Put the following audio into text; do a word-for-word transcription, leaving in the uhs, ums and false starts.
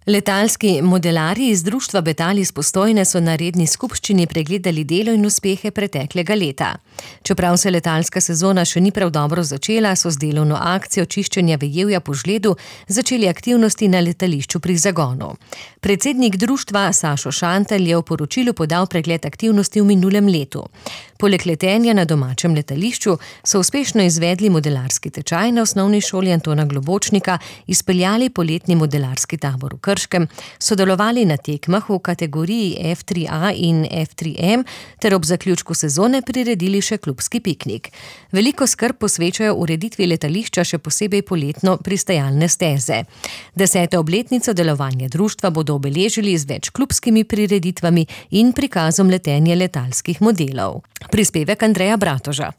Letalski modelarji iz društva Betal iz Postojne so na redni skupščini pregledali delo in uspehe preteklega leta. Čeprav se letalska sezona še ni prav dobro začela, so z delovno akcijo čiščenja vejevja po žledu začeli aktivnosti na letališču pri zagonu. Predsednik društva Sašo Šantelj je v poročilu podal pregled aktivnosti v minulem letu. Poleg letenja na domačem letališču so uspešno izvedli modelarski tečaj na osnovni šoli Antona Globočnika, izpeljali poletni modelarski tabor v Krškem, sodelovali na tekmah v kategoriji F tri A in F tri M ter ob zaključku sezone priredili še klubski piknik. Veliko skrb posvečajo ureditvi letališča, še posebej poletno pristajalne steze. Deseto obletnico delovanja društva bodo obeležili z več klubskimi prireditvami in prikazom letenja letalskih modelov. Prispevek Andreja Bratoža.